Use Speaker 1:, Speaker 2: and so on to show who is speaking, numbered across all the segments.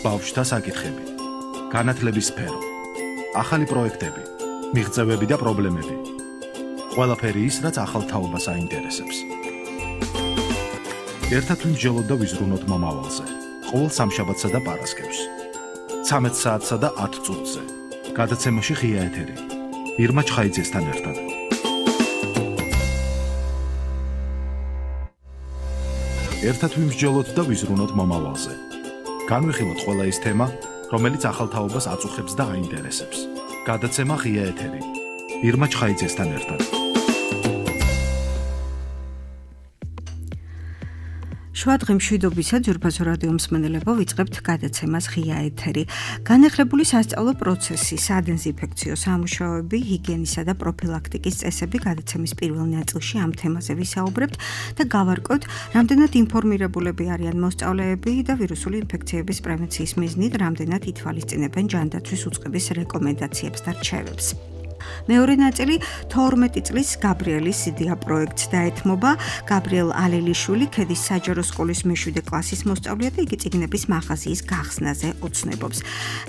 Speaker 1: ბავშვთა საკითხები, განათლების სფერო, ახალი პროექტები, მიღწევები და პრობლემები. ყველაფერი ის, რაც ახალ თაობას აინტერესებს. ერთად ვიმსჯელოთ და ვიზრუნოთ მომავალზე. ყოველ სამშაბათსა და პარასკევს. 13 საათსა და 10 წუთზე. გადაცემაში ღია ეთერი. ირმა ჩხაიძესთან ერთად. ერთად ვიმსჯელოთ და ვიზრუნოთ მომავალზე. განვიხილოთ ყველა ის თემა, რომელიც ახალ თაობას აწუხებს და აინტერესებს. გადაცემა ღია ეთერი. ირმა ჩხაიძესთან ერთად.
Speaker 2: შვადღი მშვიდობისა ძვირფასო რადიო მსმენელებო, ვიწყებთ გადაცემას ღია ეთერი. განახლებული სასწავლო პროცესი, სადეზინფექციო სამუშაოები, ჰიგიენისა და პროფილაქტიკის წესები გადაცემის პირველ ნაწილში ამ თემაზე ვისაუბრებთ და გავარკვევთ, რამდენად ინფორმირებულები არიან მოსწავლეები და ვირუსული ინფექციების პრევენციის მიზნით რამდენად ითვალისწინებენ ჯანდაცვის უწყების რეკომენდაციებს და რჩევებს. მეორე ნაწილი 12 წლის გაბრიელის იდეა პროექტს დაეთმობა. გაბრიელ ალელიშვილი ქედის საჯარო სკოლის მე-7 კლასის მოსწავლეა და იგი წიგნების მაღაზიის გახსნაზე ოცნებობს.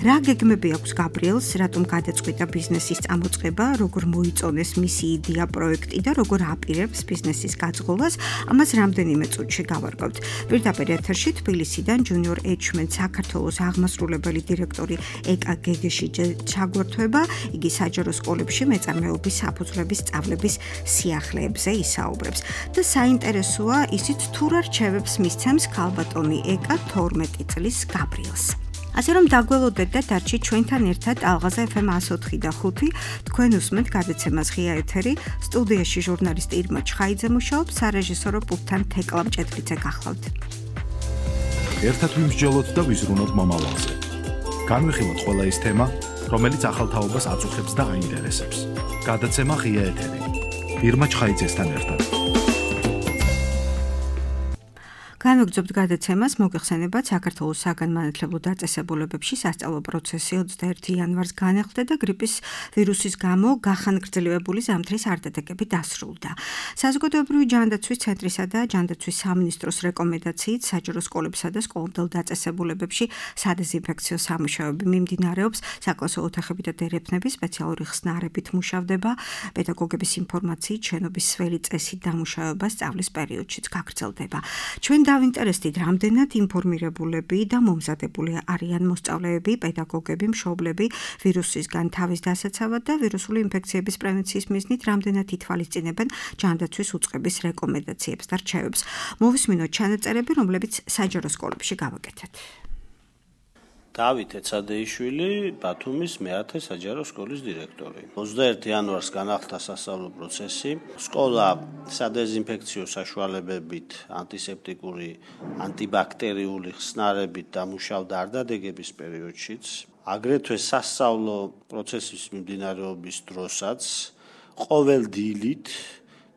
Speaker 2: რა გეგმები აქვს გაბრიელს, რატომ გადაწყვიტა ბიზნესის წამოწყება, როგორ მოიწონეს მისი იდეა პროექტი და როგორ აპირებს ბიზნესის გაძღოლას, ამას რამდენიმე წუთში გავარკვევთ. პირდაპირ ეთერში თბილისიდან ჯუნიორ ეჩმენ საქართველოს აღმასრულებელი დირექტორი ეკა გეგეშიძე ჩაგვერთვება. იგი საჯარო სკოლებში მეწარმეობის საფუძვლების სწავლების სიახლეებზე ისაუბრებს და საინტერესოა ისიც თუ რა რჩევებს მისცემს ქალბატონი ეკა 12 წლის გაბრიელს. ასე რომ დაგველოდეთ და დარჩით ჩვენთან ერთად ალღაზა FM 104 და 5. თქვენ უსმენთ გადაცემას ღია ეთერი. სტუდიაში ჟურნალისტი ირმა ჩხაიძე მუშაობს, სარეჟისორო პულტთან თეკლა მჭედლიძე გახლავთ.
Speaker 1: ერთად ვიმსჯელოთ და ვიზრუნოთ მომავალზე. განვიხილოთ ყველა ის თემა, რომელიც ახალ თაობას აწუხებს და აინტერესებს. გადაცემა ღია ეთერი. ირმა ჩხაიძესთან ერთად.
Speaker 2: განვაგრძობთ გადაცემას, მოგეხსენებათ საქართველოს საგანმანათლებლო დაწესებულებებში სასწავლო პროცესი 21 იანვარს განახლდა და გრიპის ვირუსის გამო გახანგრძლივებული ზამთრის არდადეგები დასრულდა. საზოგადოებრივი ჯანდაცვის ცენტრისა და ჯანდაცვის სამინისტროს რეკომენდაციით საჯარო სკოლებსა და სკოლამდელ დაწესებულებებში სადეზინფექციო სამუშაოები მიმდინარეობს, საკლასო ოთახები და დერეფნები სპეციალური ხსნარებით მუშავდება, პედაგოგების ინფორმაციით შენობის სველი წესით დამუშავება სწავლის პერიოდშიც გაგრძელდება. ჩვენ დავინტერესდით, რამდენად ინფორმირებულები და მომზადებული არიან მოსწავლეები, პედაგოგები, მშობლები ვირუსისგან თავის დასაცავად და ვირუსული ინფექციების პრევენციის მიზნით რამდენად ითვალისწინებენ ჯანდაცვის უწყების რეკომენდაციებს და რჩევებს. მოვისმინოთ ჩანაწერები, რომლებიც საჯარო სკოლებში გავაკეთეთ.
Speaker 3: დავით ეცადეიშვილი, ბათუმის მე-10 საჯარო სკოლის დირექტორი. 21 იანვარს განახლდა სასწავლო პროცესი. სკოლა სადეზინფექციო საშუალებებით, ანტისეპტიკური, ანტიბაქტერიული ხსნარებით დამუშავდა არდადეგების პერიოდშიც. აგრეთვე სასწავლო პროცესის მიმდინარეობის დროსაც ყოველ დილით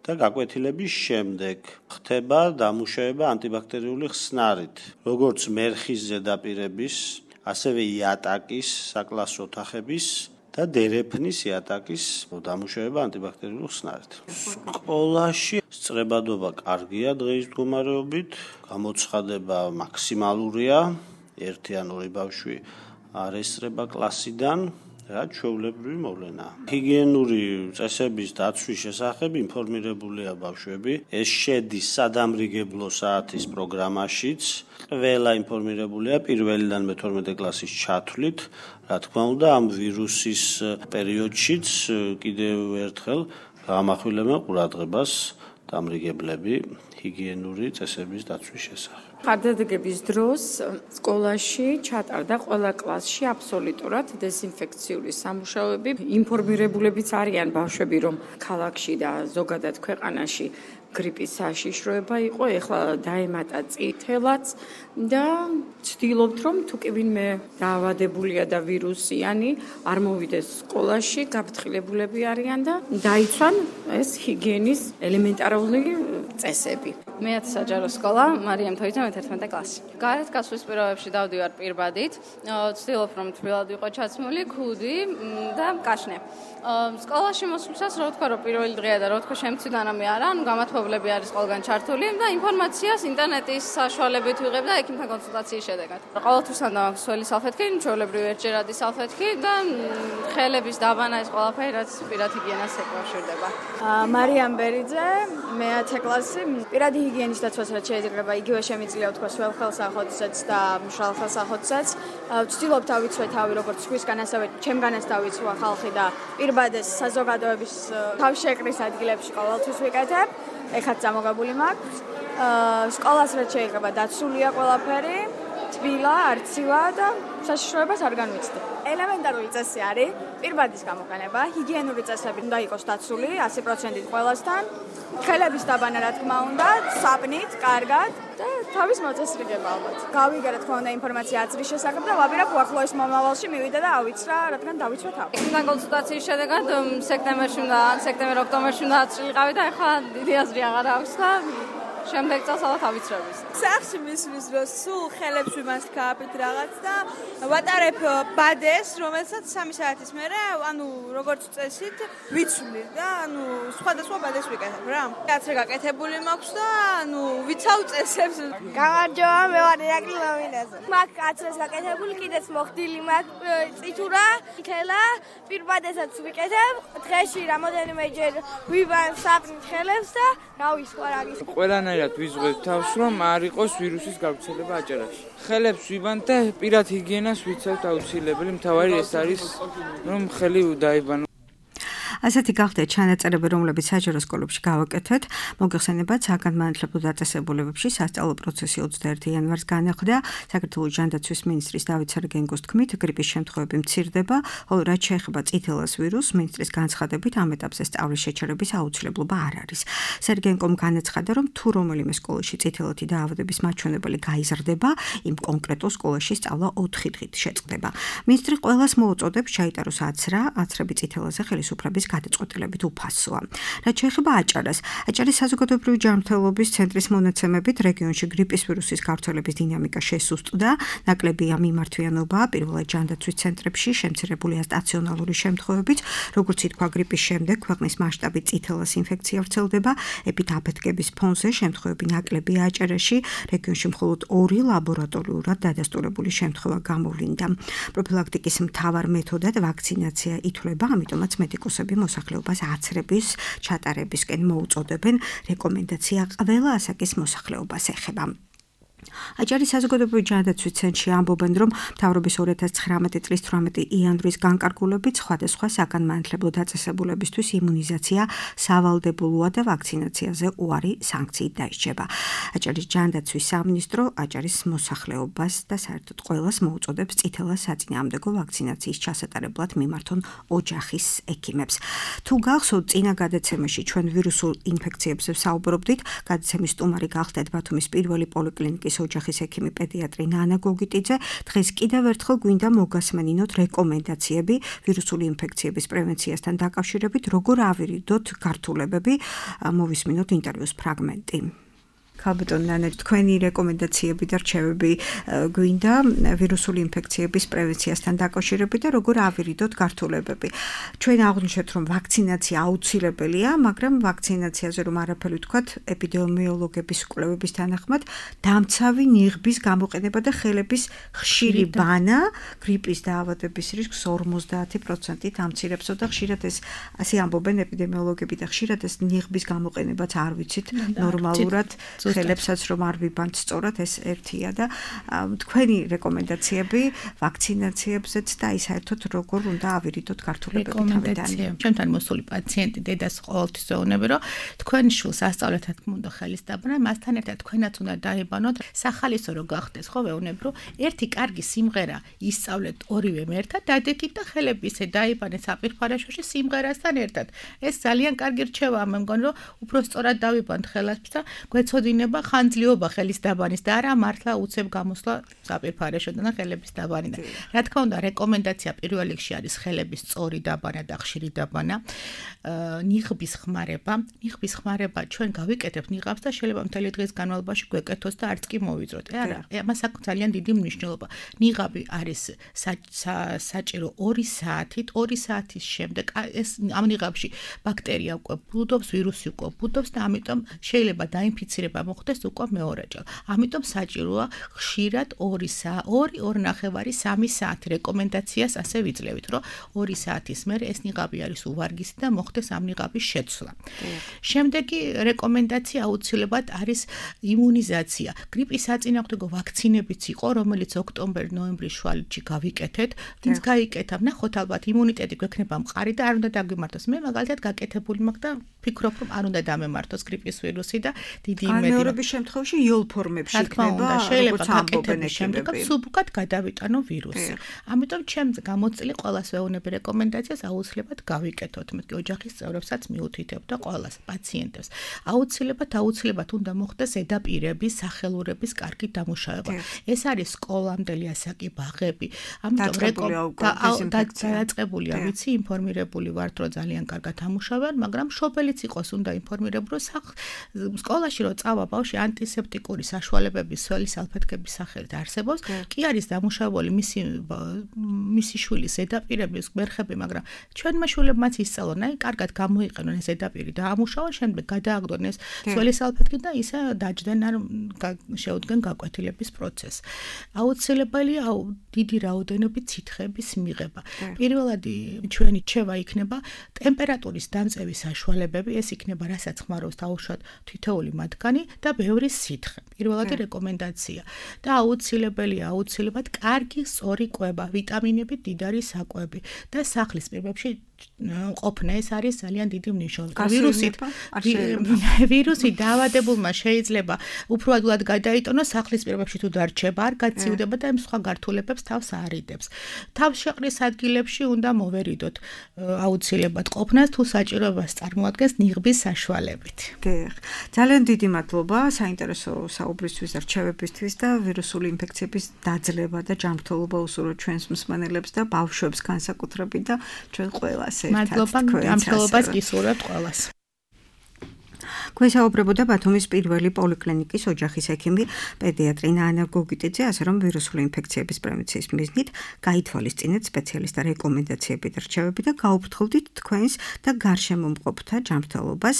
Speaker 3: და გაკვეთილების შემდეგ ხდება დამუშავება ანტიბაქტერიული ხსნარით, როგორც მერხის ზედაპირების, ასევე იატაკის, საკლასო ოთახების და დერეფნის იატაკის დამუშავება ანტიბაქტერიული ხსნარით. სკოლაში სწრებადობა კარგია დღეის მდგომარეობით, გამოცხადება მაქსიმალურია, 1 ან 2 ბავშვი არ ესწრება კლასიდან, რაც ჩვეულებრივი მოვლენაა. ჰიგიენური წესების დაცვის შესახებ ინფორმირებულია ბავშვები. ეს შედის სადამრიგებლო საათის პროგრამაშიც. ყველა ინფორმირებულია პირველიდან მე-12 კლასის ჩათვლით. რა თქმა უნდა, ამ ვირუსის პერიოდშიც კიდევ ერთხელ გამახვილებენ ყურადღებას დამრიგებლები ჰიგიენური წესების დაცვის შესახებ.
Speaker 4: არდადეგების დროს სკოლაში ჩატარდა ყველა კლასში აბსოლუტურად დეზინფექციური სამუშაოები. ინფორმირებულებიც არიან ბავშვები, რომ ქალაქში და ზოგადად ქვეყანაში გრიპის საშიშროება იყო, ეხლა დაემატა წითელაც და ვცდილობთ, რომ თუ კი ვინმე დაავადებულია და ვირუსიანი არ მოვიდეს სკოლაში, გაფრთხილებულები არიან და დაიცვან ეს ჰიგიენის ელემენტარული წესები.
Speaker 5: მე-10 საჯარო სკოლა, მარიამ თოიძე მე-11 კლასი. გარეთ გასვლის პირობებში დავდივარ პირბადით, ვცდილობ, რომ თბილად ვიყო ჩაცმული, ქუდი და კაშნე. სკოლაში მოსვლისას რა ვთქვა, რომ პირველი დღეა და რა ვთქვა, შემცირდანამე არა, ანუ გამათბობა მშობლები არის ყველგან ჩართული და ინფორმაციას ინტერნეტის საშუალებით ვიღებ და ექიმთან კონსულტაციის შედეგად. ყოველთვის უნდა მაქვს სველი სალფეთქი, ჩვეულებრივი ერთჯერადი სალფეთქი და ხელების დაბანა ეს ყველაფერი რაც პირად ჰიგიენას ეკავშირდება.
Speaker 6: მარიამ ბერიძე, მე-10 კლასი. პირადი ჰიგიენის დაცვას რაც შეიძლება, იგივე შემიძლია ვთქვა სველ ხელსაყოთსაც და მშრალ ხელსაყოთსაც. ვცდილობ დავიცვე თავი როგორც სხვისგან, ასევე ჩემგანაც დავიცვა ხალხი და პირბადეს საზოგადოების თავშეკრის ადგილებში ყოველთვის ვიკეთებ. ეხაც წამოგებული მაქვს. სკოლას რაც შეიძლება დაცულია ყველაფერი, თბილა, არცივა და საშიშროებას არ განვიცდი. ელემენტარული წესი არის პირბადის გამოყენება, ჰიგიენური წესები უნდა იყოს დაცული 100%-ით ყველასთან. ხელების დაბანა რა თქმა უნდა, საპნით, კარგად და თავის მოწესრიგება ალბათ. გავიგე რა თქმა უნდა ინფორმაცია აზრის შესახებ და ვაპირებ უახლოეს მომავალში მივიდე და ავიცრა, რადგან დავიცვა თავი.
Speaker 5: ექიმთან კონსულტაციის შედეგად სექტემბერში უნდა, სექტემბერ-ოქტომბერში უნდა აწილიყავი და ახლა დიდი აზრი აღარ აქვს და შემდეგ წელს ალბათ ავიცრების.
Speaker 7: სახში მისვლის დროს სულ ხელებს ვიმას გააფით რაღაც და ვატარებ ბადეს, რომელსაც 3 საათის მერე, ანუ როგორც წესით ვიცვლი და ანუ სხვადასხვა ბადეს ვიკეთებ რა. კაცრი გაკეთებული მაქვს და ანუ ვიცავ წესებს.
Speaker 8: გამარჯობა, მე ვარ ირაკლი ლამინაზე. მაგ კაცრას გაკეთებული, კიდეც მოხდილი მაქვს წითურა, ხელა, პირბადესაც ვიკეთებ. დღეში რამოდენიმეჯერ ვიბან საპნით ხელებს და რავი სხვა რა გის.
Speaker 9: ყველანაირად ვიზღვევ თავს, რომ არ იყოს ვირუსის გავრცელება აჭარაში. ხელებს ვიბანთ და პირად ჰიგიენას ვიცავთ აუცილებელი. მთავარი ეს არის, რომ ხელი დაიბანო.
Speaker 2: ასეთი გახდეთ ჩანაწერები, რომლებიც საჯარო სკოლებში გავაკეთეთ. მოგეხსენებათ, საგანმანათლებლო დაწესებულებებში სასწავლო პროცესი 21 იანვარს განახლდა. საქართველოს ჯანდაცვის მინისტრის დავით სარგენგოს თქმით, გრიპის შემთხვევები მცირდება, ხოლო რაც შეეხება წითელას ვირუსს, მინისტრის განცხადებით ამ ეტაპზე სწავლის შეჩერების აუცილებლობა არ არის. სარგენგომ განაცხადა, რომ თუ რომელიმე სკოლაში წითელათი დაავადების მაჩვენებელი გაიზრდება, იმ კონკრეტულ სკოლაში სწავლა 4 დღით შეწყდება. მინისტრი ყველას მოუწოდებს ჩაიტაროს აცრა, აცრები წითელაზე ხელისუფლების გადაწყვეტილებით უფასოა. რაც შეეხება აჭარას, აჭარის საზოგადოებრივი ჯანმრთელობის ცენტრის მონაცემებით რეგიონში გრიპის ვირუსის გავრცელების დინამიკა შესუსტდა, ნაკლებია მიმართვიანობა, პირველად ჯანდაცვის ცენტრებში შემცირებულია სტაციონარული შემთხვევებით, როგორც ითქვა გრიპის შემდეგ ქვეყნის მასშტაბით წითელას ინფექცია ვრცელდება, ეპიდაფეთქების ფონზე შემთხვევები ნაკლებია აჭარაში, რეგიონში მხოლოდ 2 ლაბორატორიულად დადასტურებული შემთხვევა გამოვლინდა. პროფილაქტიკის მთავარ მეთოდად ვაქცინაცია ითვლება, ამიტომაც მედიკოსები მოსახლეობას აცრების ჩატარებისკენ მოუწოდებენ. რეკომენდაცია ყველა ასაკის მოსახლეობას ეხება. აჭარის საზოგადოებრივი ჯანდაცვის ცენტრში ამბობენ, რომ მთავრობის 2019 წლის 18 იანვრის განკარგულებით სხვადასხვა საგანმანათლებლო დაწესებულებისთვის იმუნიზაცია სავალდებულოა და ვაქცინაციაზე უარი სანქციით დაისჯება. აჭარის ჯანდაცვის სამინისტრო აჭარის მოსახლეობას და საერთოდ ყველას მოუწოდებს წითელას საწინააღმდეგო ვაქცინაციის ჩასატარებლად მიმართონ ოჯახის ექიმებს. თუ გახსოვთ, წინა გადაცემაში ჩვენ ვირუსულ ინფექციებზე ვსაუბრობდით, გადაცემის სტუმარი გახდეთ ბათუმის პირველი პოლიკლინიკის ოჯახის ექიმი პედიატრი ნანა გოგიტიძე. დღეს კიდევ ერთხელ გვინდა მოგასმენინოთ რეკომენდაციები ვირუსული ინფექციების პრევენციასთან დაკავშირებით, როგორ ავირიდოთ გართულებები. მოვისმინოთ ინტერვიუს ფრაგმენტი. ქალბატონ ნანა, თქვენი რეკომენდაციები და რჩევები გვინდა ვირუსული ინფექციების პრევენციასთან დაკავშირებით და როგორ ავირიდოთ გართულებები. ჩვენ აღვნიშნეთ, რომ ვაქცინაცია აუცილებელია, მაგრამ ვაქცინაციაზე რომ არაფერი ვთქვათ, ეპიდემიოლოგების კვლევების თანახმად დამცავი ნიღბის გამოყენება და ხელების ხშირი ბანა გრიპის დაავადების რისკს 50%-ით ამცირებსო და ხშირად ეს ასე ამბობენ ეპიდემიოლოგები და ხშირად ეს ნიღბის გამოყენებაც არ ვიცით ნორმალურად ხელებსაც რომ არ ვიბანთ სწორად ეს ერთია და თქვენი რეკომენდაციები ვაქცინაციებზეც და აი საერთოდ როგორ უნდა ავირიდოთ გართულებები თავიდან.
Speaker 10: ჩემთან მოსული პაციენტი დედას ყოველთვის ეუბნები, რომ თქვენ შვილს ასწავლეთათ უნდა ხელის დაბანა, მასთან ერთად თქვენაც უნდა დაიბანოთ. სახალისო რო გახდეს, ხო ვეუბნებ, რომ ერთი კარგი სიმღერა ისწავლეთ ორივემ ერთად, დადექით და ხელები ისე დაიბანეთ საპირფარეშოში სიმღერასთან ერთად. ეს ძალიან კარგი რჩევა, მე მგონი, რომ უფრო სწორად დავიბანთ ხელებს და გვეცოდინოთ იქნება ხანძლიობა ხელის დაბანის და არა მართლა უცებ გამოსვლა საპირფარეშოდან ხელების დაბანიდან. რა თქმა უნდა, რეკომენდაცია პირველ რიგში არის ხელების სწორი დაბანა და ხშირი დაბანა. ნიღბის ხმარება ჩვენ გავიკეთებთ ნიღაბს და შეიძლება მთელი დღის განმავლობაში გვეკეთოს და არც კი მოვიძროთ. არა, ამას აქვს ძალიან დიდი მნიშვნელობა. ნიღაბი არის საჭირო 2 საათით, 2 საათის შემდეგ ეს ამ ნიღაბში ბაქტერია უკვე ბუდობს, ვირუსი უკვე ბუდობს და ამიტომ შეიძლება დაინფიცირება მოხდეს უკვე მეორეჯერ. ამიტომ საჭიროა ხშირად 2-2.5-3 საათი რეკომენდაციას ასე ვიძლევით, რომ 2 საათის მერე ეს ნიღაბი არის უვარგისი და მოხდეს ამ ნიღაბის შეცვლა. შემდეგი რეკომენდაცია აუცილებლად არის იმუნიზაცია. გრიპის საწინააღმდეგო ვაქცინებიც იყო, რომელიც ოქტომბერ-ნოემბრის შუალედში გავიკეთეთ. ვინც გაიკეთა, ნახოთ ალბათ იმუნიტეტი გვექნება მყარი და არ უნდა დაგვიმართოს. მე მაგალითად გაკეთებული მაქვს და ფიქრობ, რომ არ უნდა დამემართოს გრიპის ვირუსი და დიდი იმედი.
Speaker 2: განმეორების შემთხვევაში იოლ ფორმებში იქნება,
Speaker 10: შეიძლება გაკეთების შემდეგ სუბუქად გადავიტანო ვირუსი. ამიტომ ჩემს გამოწილი ყველას ვეუბნები რეკომენდაციას აუცილებლად გავიკეთოთ. მე ოჯახის წევრებსაც მიუთითებ და ყველას პაციენტებს. აუცილებლად უნდა მოხდეს ზედაპირების, სახელურების კარგი დამუშავება. ეს არის სკოლამდელი ასაკი, ბაღები. ამიტომ დაწყებულია, ვიცი, ინფორმირებული ვართ, რომ ძალიან კარგად ამუშავებენ, მაგრამ მშობელიც იყოს უნდა ინფორმირებული, სკოლაში რომ წავა ბავშვი ანტისეპტიკური საშუალებების სველი სალფეთქების სახელით არსებობს, კი არის დამუშავებული მისი შვილის ზედაპირების გვერხები, მაგრამ ჩვენმა შვილებმაც ისწავლონ, აი კარგად გამოიყენონ ეს ზედაპირი და ამუშავონ, შემდეგ გადააგდონ ეს სველი სალფეთქი და ისე დაჯდნენ ან შეუდგენ გაკვეთილების პროცესს. აუცილებელია დიდი რაოდენობით სითხეების მიღება. პირველად ჩვენი რჩევა იქნება ტემპერატურის დამწევის საშუალებები, ეს იქნება რასაც ხმარობს დაუშვათ თითოეული მათგანი და ბევრი სითხე. პირველადი რეკომენდაცია და აუცილებლად კარგი სწორი კვება, ვიტამინები, მდიდარი საკვები და სახლის პირობებში ყოფნა ეს არის ძალიან დიდი მნიშვნელობა. ვირუსი დაავადებულმა შეიძლება უფრო ადვილად გადაიტანოს სახლის პირობებში თუ დარჩება, არ გაცივდება და იმ სხვა გართულებებს თავს არიდებს. თავს შეყრის ადგილებში უნდა მოვერიდოთ აუცილებლად ყოფნას თუ საჭიროებას წარმოადგენს ნიღბის საშუალებით.
Speaker 2: ძალიან დიდი მადლობა საინტერესო საუბრისთვის და რჩევებისთვის და ვირუსული ინფექციების დაძლევა და ჯანმრთელობა უსურვოთ ჩვენს მსმენელებს და ბავშვებს განსაკუთრებით და ჩვენ ყველა
Speaker 10: მადლობა ამხელობას გისურვებთ ყველას.
Speaker 2: გვესაუბრებოდა ბათუმის პირველი პოლიკლინიკის ოჯახის ექიმი პედიატრი ნანა გოგიტიძე, ასე რომ ვირუსული ინფექციების პრევენციის მიზნით გაითვალისწინეთ სპეციალისტთა რეკომენდაციები და რჩევები და გაუფრთხილდით თქვენს და გარშემო მყოფთა ჯანმრთელობას.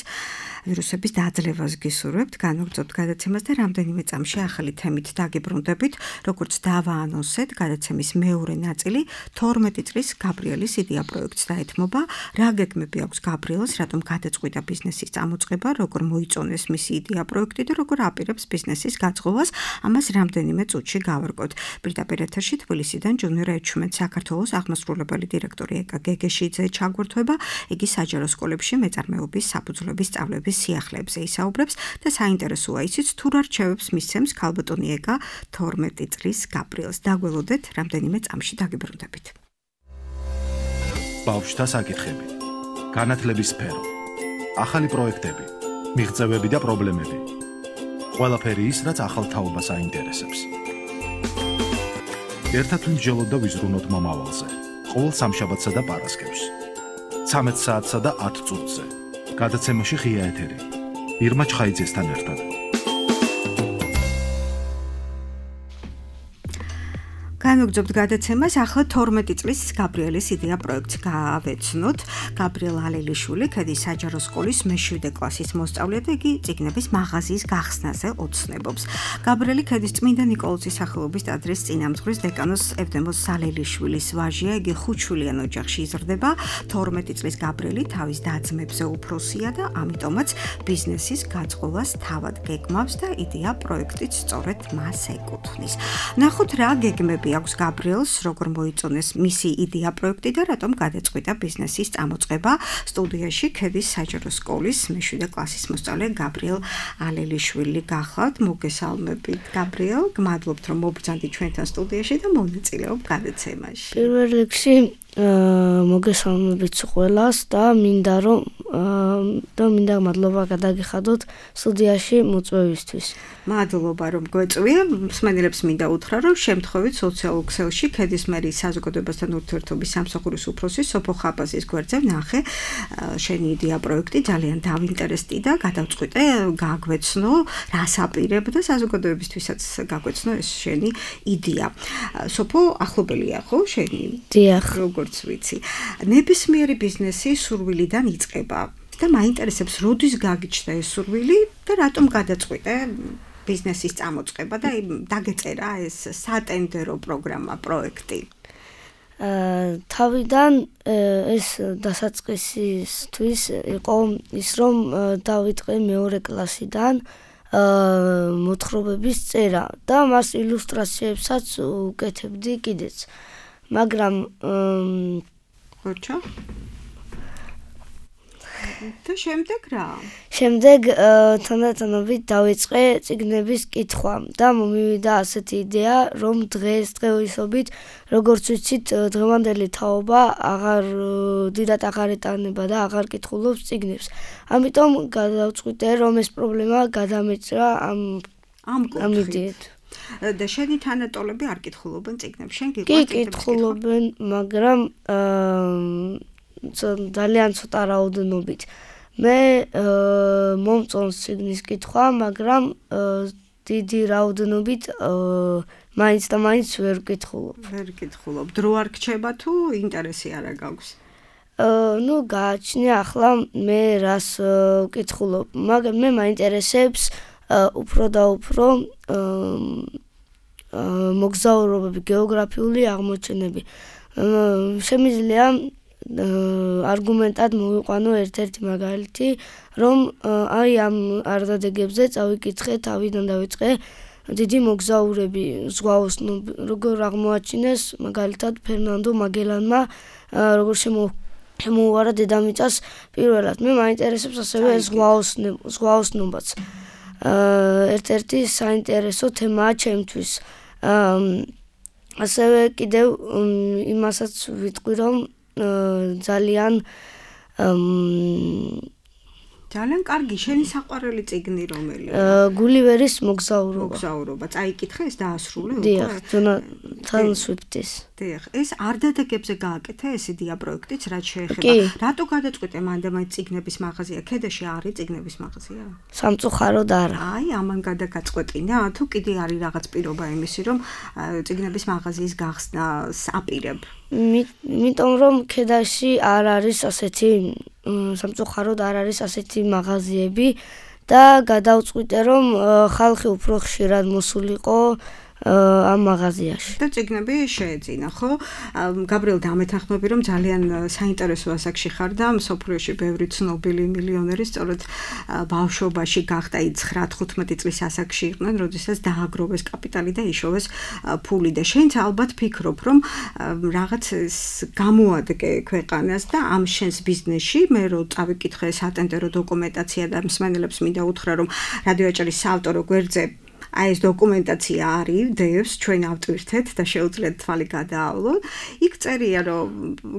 Speaker 2: ვირუსების დაძლევას გისურვებთ, განაგრძობთ გადაცემას და რამდენიმე წამში ახალი თემით დაგიბრუნდებით, როგორც დავაანონსეთ, გადაცემის მეორე ნაწილი 12 წლის გაბრიელის იდეა პროექტს დაეთმობა. რა გეგმები აქვს გაბრიელს, რატომ გადაწყვიტა ბიზნესის წამოწყება, როგორ მოიწონეს მისი იდეა პროექტი და როგორ აპირებს ბიზნესის გაწყობას, ამას რამდენიმე წუთში გავარკვევთ. პირდაპირ ეთერში თბილისიდან ჯუნიორ ეჩუმენ საქართველოს აღმასრულებელი დირექტორი ეკა გეგეშიძე ჩაგვერთვება, იგი საჯარო სკოლებში მეწარმეობის საფუძვლების სწავლების სიახლეებზე ისაუბრებს და საინტერესოა ისიც თუ რა რჩევებს მისცემს ქალბატონი ეკა 12 წლის გაბრიელს. დაგველოდეთ, რამდენიმე წამში დაგიბრუნდებით.
Speaker 1: ბავშვთა საკითხები, განათლების სფერო, ახალი პროექტები, მიღწევები და პრობლემები. ყველაფერი ის, რაც ახალ თაობას აინტერესებს. ერთად ვიმსჯელოთ და ვიზრუნოთ მომავალზე. ყოველ სამშაბათსა და პარასკევს. 13 საათსა და 10 წუთზე. გადაცემაში ღია ეთერი. ირმა ჩხაიძესთან ერთად.
Speaker 2: განაგრძობთ გადაცემას, ახლა 12 წლის გაბრიელის იდეა პროექტს გავეცნოთ. გაბრიელ ალელიშვილი, ქედის საჯარო სკოლის მე-7 კლასის მოსწავლე და იგი წიგნების მაღაზიის გახსნაზე ოცნებობს. გაბრიელი ქედის წმინდა ნიკოლოზის სახელობის ტაძრის წინამძღვრის დეკანოს ევდემოს ალელიშვილის ვაჟია, იგი ხუთშვილიან ოჯახში იზრდება. 12 წლის გაბრიელი თავის და-ძმებზე უფროსია და ამიტომაც ბიზნესის გაწყობას თავად გეგმავს და იდეა პროექტიც სწორედ მას ეკუთვნის. ნახოთ რა გეგმები აქვს გაბრიელს, როგორ მოიწონეს მისი იდეა პროექტი და რატომ გადაწყვიტა ბიზნესის წამოწყება. სტუდიაში ქედის საჯარო სკოლის მე-7 კლასის მოსწავლე გაბრიელ ალელიშვილი გახლავთ. მოგესალმებით გაბრიელ, გმადლობთ რომ მობრძანდი ჩვენთან სტუდიაში და მონაწილეობ გადაცემაში.
Speaker 8: პირველ რიგში
Speaker 11: მოგესალმებით ყველას და მინდა მადლობა გადაგიხადოთ სტუდიაში მოწვევისთვის.
Speaker 2: მადლობა რომ გვეწვია. მსმენელებს მინდა უთხრა რომ შემთხვევით სოციალურ ქსელში ქედის მერის საზოგადოებასთან ურთიერთობის სამსახურის უფროსი სოფო ხაბაზის გვერდზე ვნახე შენი იდეა პროექტი ძალიან დავინტერესდი და გადავწყვიტე გაგვეცნო რას აპირებდა საზოგადოებისთვისაც გაგვეცნო ეს შენი იდეა. სოფო ახლობელია ხო შენი?
Speaker 11: დიახ.
Speaker 2: როგორც ვიცი. ნებისმიერი ბიზნესი სურვილიდან იწყება და მაინტერესებს როდის გაგიჩნდა ეს სურვილი და რატომ გადაწყვიტე ბიზნესის წამოწყება და დაგეწერა ეს სატენდერო პროგრამა პროექტი.
Speaker 11: თავიდან ეს დასაწყისისთვის იყო ის რომ დავიწყე მეორე კლასიდან მოთხრობების წერა და მას ილუსტრაციებსაც უკეთებდი კიდეც. მაგრამ
Speaker 2: ხოჩა და შემდეგ რა?
Speaker 11: შემდეგ თანდათანობით დავიწყე წიგნების კითხვა და მომივიდა ასეთი იდეა, რომ დღეისობით, როგორც ვიცით, დღევანდელი თაობა დიდად აღარ ეტანება და აღარ კითხულობს წიგნებს. ამიტომ გადავწყვიტე, რომ ეს პრობლემა გადამეჭრა ამ იდეით.
Speaker 2: და შენი თანატოლები არ კითხულობენ წიგნებს? შენ
Speaker 11: კი კითხულობენ, მაგრამ ძალიან ცოტა რაოდენობით. მე მომწონს წიგნის კითხვა, მაგრამ დიდი რაოდენობით მაინც და მაინც ვერ ვკითხულობ.
Speaker 2: ვერ ვკითხულობ. დრო არ გრჩება თუ ინტერესი არ გაქვს?
Speaker 11: გააჩნია ახლა მე რას ვკითხულობ, მაგრამ მე მაინტერესებს უფრო და უფრო მოგზაურობები, გეოგრაფიული აღმოჩენები. შემიძლია არგუმენტად მოვიყვანო ერთ-ერთი მაგალითი, რომ აი ამ არდადეგებზე წავიკითხე, თავიდან დავიწყე დიდი მოგზაურები, ზღვაოსნები, როგორ აღმოაჩინეს მაგალითად ფერნანდო მაგელანმა, როგორ შემოუვარა დედამიწას პირველად. მე მაინტერესებს ასევე ზღვაოსნობაც. ერთ-ერთი საინტერესო თემაა ჩემთვის. ასევე კიდევ იმასაც ვიტყვი, რომ ძალიან
Speaker 2: კარგი შენი საყვარელი წიგნი რომელია?
Speaker 11: გულივერის მოგზაურობა.
Speaker 2: წაიკითხე ეს დაასრულე უკვე?
Speaker 11: დიახ, ჯონათან სვიფტის.
Speaker 2: დიახ, ეს არდადეგებზე გააკეთე ეს იდეა პროექტიც რაც შეეხება. რატო გადაწყვიტე მანდ წიგნების მაღაზია? ქედაში არის წიგნების მაღაზია?
Speaker 11: სამწუხაროდ არა.
Speaker 2: აი, ამან გადაგაწყვეტინა, თუ კიდე არის რაღაც პირობა იმისი, რომ წიგნების მაღაზიის გახსნას აპირებ?
Speaker 11: იმიტომ რომ ქედაში არ არის ასეთი სამწუხაროდ არ არის ასეთი მაღაზიები და გადავწყვიტე რომ ხალხი უფრო ხშირად მოსულიყო ამ მაღაზიაში.
Speaker 2: და წიგნები შეეძინა, ხო? გაბრიელ დამეთანხმები რომ ძალიან საინტერესო ასაკში ხარ და მსოფლიოში ბევრი ცნობილი მილიონერი სწორედ ბავშვობაში გახდა 9-15 წლის ასაკში იყვნენ, როდესაც დააგროვეს კაპიტალი და იშოვეს ფული და შენც ალბათ ფიქრობ რომ რაღაც გამოადგე ქვეყანას და ამ შენს ბიზნესში მე რო წავიკითხე სატენდერო დოკუმენტაცია და მსმენელებს მინდა უთხრა რომ რადიო აჭარის საავტორო გვერდზე აი ეს დოკუმენტაცია არის, დევს ჩვენ ავტვირთეთ და შეუძლიათ თვალი გადაავლოთ. იქ წერია რომ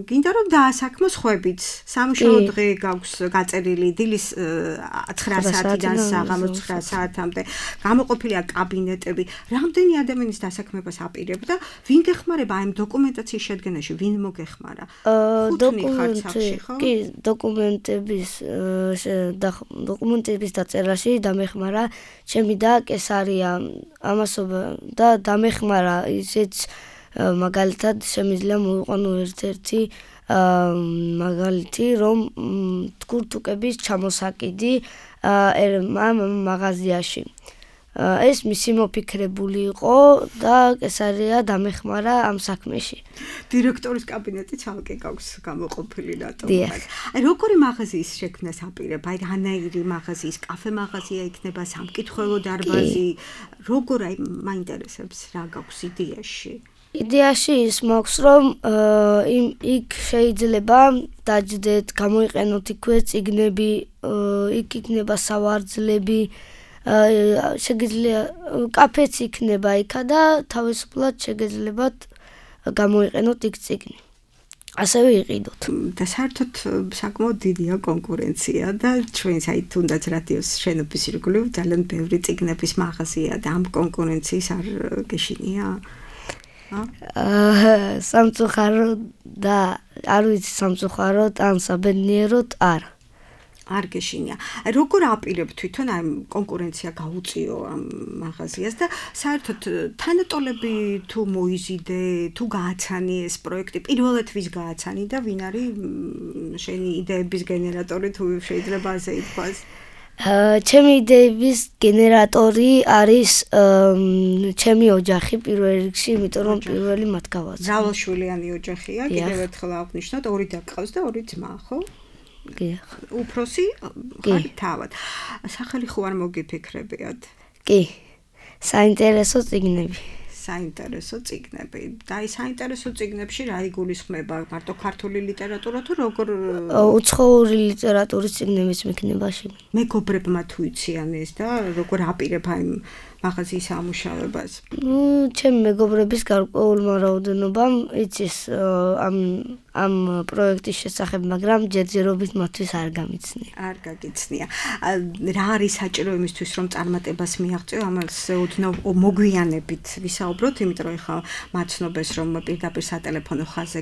Speaker 2: გინდა რომ დაასაქმო სხვებით. სამუშაო დღე გაქვს გაწერილი დილის 9 საათიდან საღამოს 9 საათამდე. გამოყოფილია კაბინეტები. რამდენი ადამიანის დასაქმებას აპირებ და ვინ გეხმარება აი ამ დოკუმენტაციის შედგენაში? ვინ მოგეხმარა?
Speaker 11: კი, დოკუმენტების დაწერაში დამეხმარა ჩემი და კესარია ამასობა და დამეხმარა ისეც მაგალითად შემიძლია მოვიყვანო ერთ-ერთი მაგალითი რომ თქურთუკების ჩამოსაკიდი ამ მაღაზიაში. ეს მისი მოფიქრებული იყო და კესარია დამეხმარა ამ საქმეში.
Speaker 2: დირექტორის კაბინეტი ცალკე გაქვს გამოყოფილი რატომ? აი როგორი მაღაზიის შექმნას აპირებ? აი რანაირი მაღაზიის, კაფე მაღაზია იქნება, სამკითხველო დარბაზი, როგორ აი მაინტერესებს რა გაქვს იდეაში?
Speaker 11: იდეაში ის მაქვს რომ იქ შეიძლება დაჯდეთ, გამოიყენოთ იქვე წიგნები, იქ იქნება სავარძლები, შეგიძლია კაფეც იქნება იქა და თავისუფლად შეგეძლებათ გამოიყენოთ იქ წიგნი. ასევე იყიდოთ.
Speaker 2: და საერთოდ საკმაოდ დიდია კონკურენცია და ჩვენს აი თუნდაც რადიოს შენობის ირგვლივ ძალიან ბევრი წიგნების მაღაზია და ამ კონკურენციის არ გეშინია?
Speaker 11: სამწუხაროდ და არ ვიცი სამწუხაროდ ან საბედნიეროდ არა.
Speaker 2: არ გეშინია. როგორ აპირებ თვითონ აი კონკურენცია გაუწიო ამ მაღაზიას და საერთოდ თანატოლები თუ მოიზიდე, თუ გააცანი ეს პროექტი, პირველად ვის გააცანი და ვინ არის შენი იდეების გენერატორი თუ შეიძლება ასე ითქვას?
Speaker 11: ჩემი იდეების გენერატორი არის ჩემი ოჯახი პირველ რიგში, იმიტომ რომ პირველი მათ გავაცნო.
Speaker 2: ძალოშვილიანი ოჯახია, კიდევ ერთხელ აღნიშნოთ, ორი და გყავს და ორი ძმა, ხო? უფროსი ხარ თავად. სახელი ხო არ მოგიფიქრებიათ?
Speaker 11: კი. საინტერესო წიგნები.
Speaker 2: საინტერესო წიგნები. და აი საინტერესო წიგნებში რა იგულისხმება? მარტო ქართული ლიტერატურა თუ როგორ
Speaker 11: უცხოური ლიტერატურის წიგნებიც მექნება შეგ.
Speaker 2: მეგობრებმა თუ იციან ეს და როგორ აპირებ აი მაღაზიის ამუშავებას?
Speaker 11: ჩემი მეგობრების გარკვეულმა რაოდენობამ იცის ამ პროექტის შესახებ, მაგრამ ჯერჯერობით მათთვის არ გამიცნია.
Speaker 2: არ გაგიცნია. რა არის საჭირო იმისთვის, რომ წარმატებას მიაღწიო? ამაზე ოდნავ მოგვიანებით ვისაუბროთ, იმიტომ რომ ეხლა მაცნობეს, რომ პირდაპირ სატელეფონო ხაზზე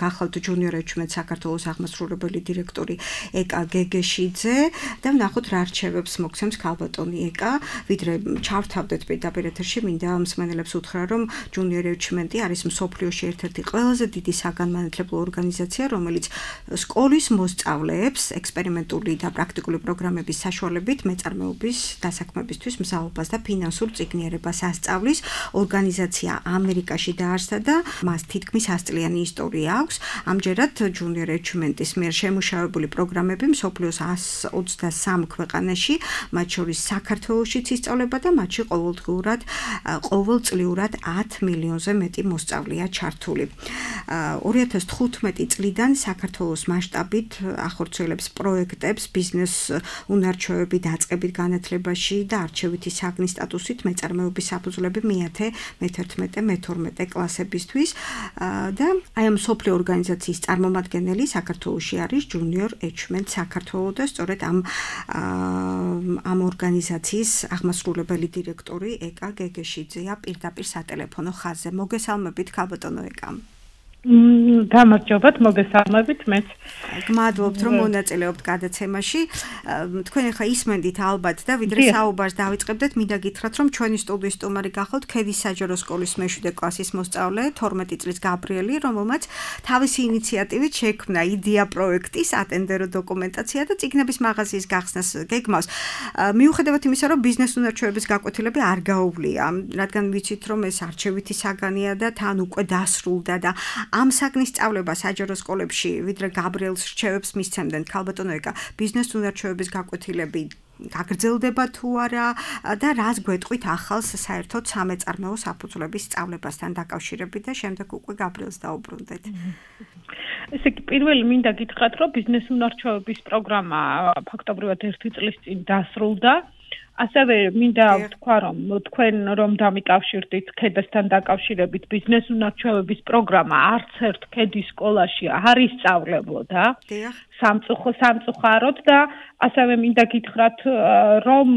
Speaker 2: გახალთ ჯუნიორ ეჩმენ საქართველოს აღმასრულებელი დირექტორი ეკა გეგეშიძე და ვნახოთ რა რჩევებს მოგცემს ქალბატონი ეკა, ვიდრე ჩავთავდეთ პირდაპირ ეთერში, მინდა მსმენელებს უთხრა, რომ ჯუნიორ ეჩმენტი არის მსოფლიოში ერთ-ერთი ყველაზე დიდი საგანმანათლებლო ორგანიზაცია, რომელიც სკოლის მოსწავლეებს ექსპერიმენტული და პრაქტიკული პროგრამების საშუალებით მეწარმეობის დასაქმებისთვის მზაობას და ფინანსურ წიგნიერებას ასწავლის. ორგანიზაცია ამერიკაში დაარსდა და მას თითქმის 100 წლიანი ისტორია აქვს. ამჯერად ჯუნიორ ეჩმენტის მიერ შემუშავებული პროგრამები მსოფლიოს 123 ქვეყანაში, მათ შორის საქართველოშიც ისწავლება და მათში ყოველწლიურად 10 მილიონზე მეტი მოსწავლეა ჩართული. 2015 წლიდან საქართველოს მასშტაბით ახორციელებს პროექტებს ბიზნეს უნარჩვევები დაწყებით განათლებაში და არჩევითი საგნის სტატუსით მეწარმეობის საფუძვლები მე-10, მე-11, მე-12 კლასებისთვის და აი ამ მსოფლიო ორგანიზაციის წარმომადგენელი საქართველოში არის ჯუნიორ ეჩმენტ საქართველოს და სწორედ ამ ორგანიზაციის აღმასრულებელი დირექტორი ეკა გეგეშიძეა პირდაპირ სატელეფონო ხაზზე. მოგესალმებით ქალბატონო ეკა.
Speaker 12: გამარჯობათ, მოგესალმებით მეც.
Speaker 2: გმადლობთ, რომ მონაწილეობთ გადაცემაში. თქვენ ახლა ისმენდით ალბათ და ვიდრე საუბარს დავიწყებდეთ, მინდა გითხრათ, რომ ჩვენი სტუდიის სტუმარი გახავთ ქედის საჯარო სკოლის მე-7 კლასის მოსწავლე, 12 წლის გაბრიელი, რომელმაც თავისი ინიციატივით შექმნა იდეა პროექტის ატენდერო დოკუმენტაცია და წიგნების მაღაზიის გახსნას გეგმავს. მიუხედავად იმისა, რომ ბიზნეს უნარჩვევების გაკვეთილები არ გაუვლია, რადგან ვიცით, რომ ეს არჩევითი საგანია და თან უკვე დასრულდა და ამ საგნის სწავლება საჯარო სკოლებში ვიდრე გაბრიელს რჩევებს მისცემდნენ ქალბატონო ეკა ბიზნეს უნარჩვევების გაკვეთილები გაგრძელდება თუ არა და რას გვეტყვით ახალს საერთოდ სამეწარმეო საფუძვლების სწავლებასთან დაკავშირებით და შემდეგ უკვე გაბრიელს დაუბრუნდეთ.
Speaker 12: ესე იგი პირველი მინდა გითხრათ, რომ ბიზნეს უნარჩვევების პროგრამა ფაქტობრივად 1 წლის წინ დასრულდა. ასევე მინდა ვთქვა, რომ თქვენ რომ დამიკავშირდით ქედასთან დაკავშირებით ბიზნეს უნარჩვევების პროგრამა არც ერთ ქედის სკოლაში არ ისწავლებოდა სამწუხაროდ და ასევე მინდა გითხრათ, რომ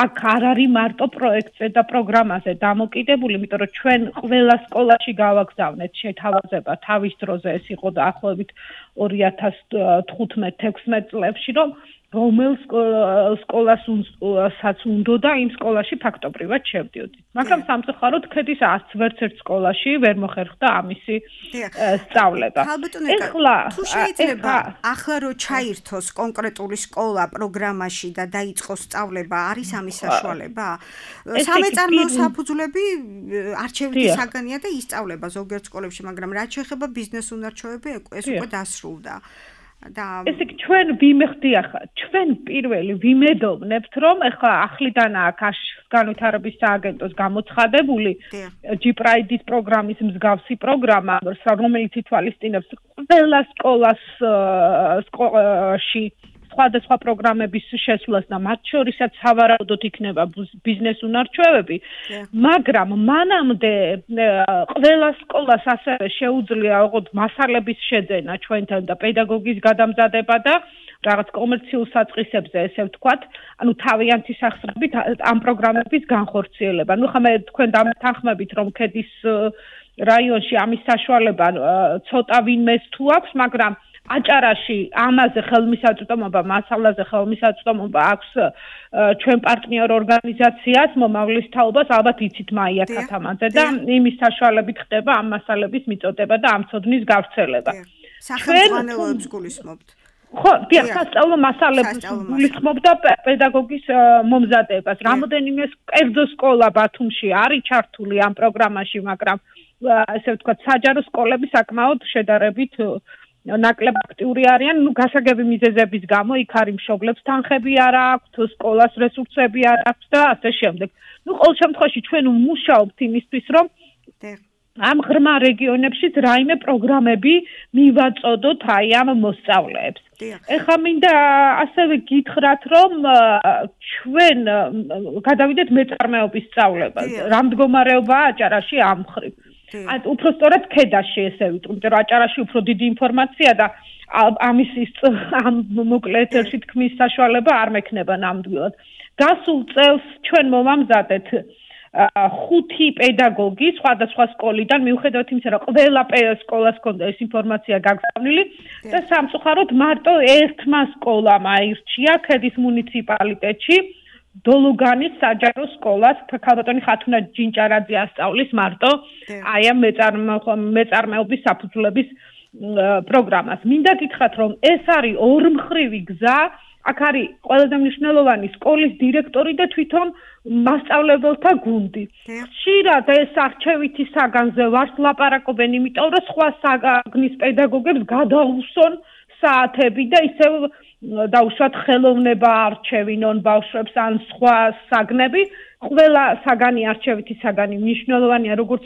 Speaker 12: აქ არ არის მარტო პროექტზე და პროგრამაზე დამოკიდებული, იმიტომ რომ ჩვენ ყველა სკოლაში გავაგზავნეთ შეთავაზება თავის დროზე, ეს იყო დაახლოებით 2015-16 წლებში, რომ რომელ სკოლასაც უნდა იმ სკოლაში ფაქტობრივად შევდიოდით. მაგრამ სამწუხაროდ ქედის ვერც ერთ სკოლაში ვერ მოხერხდა ამისი სწავლება.
Speaker 2: ეხლა თუ შეიძლება ახლა რო ჩაირთოს კონკრეტული სკოლა პროგრამაში და დაიწყოს სწავლება, არის ამის საშუალება? სამეწარმეო საფუძვლები არჩევითი საგანია და ისწავლება ზოგიერთ სკოლებში, მაგრამ რაც შეეხება ბიზნეს უნარჩვევები, ეს უკვე დასრულდა.
Speaker 12: ესე იგი ჩვენ ჩვენ პირველი ვიმედოვნებთ, რომ ახლა ახლიდანაა განვითარების სააგენტოს გამოცხადებული G-Pride-ის პროგრამის მსგავსი პროგრამა, რომელიც ითვალისწინებს ყველა სკოლაში სხვადასხვა პროგრამების შესვლას და მათ შორისაც სავარაუდოდ იქნება ბიზნეს უნარჩვევები, მაგრამ მანამდე ყველა სკოლას ასევე შეუძლია ოღონდ მასალების შეძენა ჩვენთან და პედაგოგის გადამზადება და რაღაც კომერციულ საწყისებზე, ესე ვთქვათ, ანუ თავიანთი სახსრებით ამ პროგრამების განხორციელება. ნუ ხა მე თქვენ დამთანხმებით, რომ ქედის რაიონში ამის საშუალება ცოტა ვინმეს თუ აქვს, მაგრამ აჭარაში ამაზე ხელმისაწვდომობა, მასალაზე ხელმისაწვდომობა აქვს ჩვენ პარტნიორ ორგანიზაციას, მომავლის თაობას, ალბათ იცით მაია ქათამაძე და იმის საშუალებით ხდება ამ მასალების მიწოდება და ამ ცოდნის გავრცელება.
Speaker 2: სახელმძღვანელოებს გულისხმობთ.
Speaker 12: ხო, დიახ, სასწავლო მასალებს გულისხმობ და პედაგოგის მომზადებას. რამოდენიმე კერძო სკოლა ბათუმში არის ჩართული ამ პროგრამაში, მაგრამ ესე ვთქვათ, საჯარო სკოლები საკმაოდ შედარებით ნაკლებ აქტიური არიან, ნუ გასაგები მიზეზების გამო იქ არის მშობლებს თანხები არ აქვთ, სკოლას რესურსები არ აქვთ და ასე შემდეგ. ნუ ყოველ შემთხვევაში ჩვენ ვმუშაობთ იმისთვის, რომ ამ ღრმა რეგიონებშიც რაიმე პროგრამები მივაწოდოთ აი ამ მოსწავლეებს. ეხლა მინდა ასევე გითხრათ, რომ ჩვენ გადავიდეთ მეწარმეობის სწავლებაზე. რა მდგომარეობაა აჭარაში ამ მხრივ? უпростоრად ქედაში ესე ვიტყვი, რომ აჭარაში უფრო დიდი ინფორმაცია და ამის ამ მოკლე ეთერში თქმის საშუალება არ მექნება ნამდვილად. გასულ წელს ჩვენ მოვამზადეთ 5 პედაგოგი სხვადასხვა სკოლიდან, მიუხედავად იმისა, რომ ყველა სკოლას ჰქონდა ეს ინფორმაცია გაგზავნილი და სამწუხაროდ მარტო ერთმა სკოლამ აირჩია ქედის მუნიციპალიტეტში დოლუგანის საჯარო სკოლას, ქალბატონი ხათუნა ჯინჭარაძე ასწავლის მარტო აი ამ მეწარმეობის საფუძვლების პროგრამას. მინდა გითხრათ, რომ ეს არის ორმხრივი გზა, აქ არის ყველაზე მნიშვნელოვანი სკოლის დირექტორი და თვითონ მასწავლებელთა გუნდი. ხშირად ეს არჩევითი საგანზე ვართ ლაპარაკობენ, იმიტომ რომ სხვა საგნის პედაგოგებს გადაუსვონ საათები და ისევ დაუშვათ ხელოვნება არჩევინონ ბავშვებს ან სხვა საგნები. ყველა საგანი არჩევითი საგანი მნიშვნელოვანია, როგორც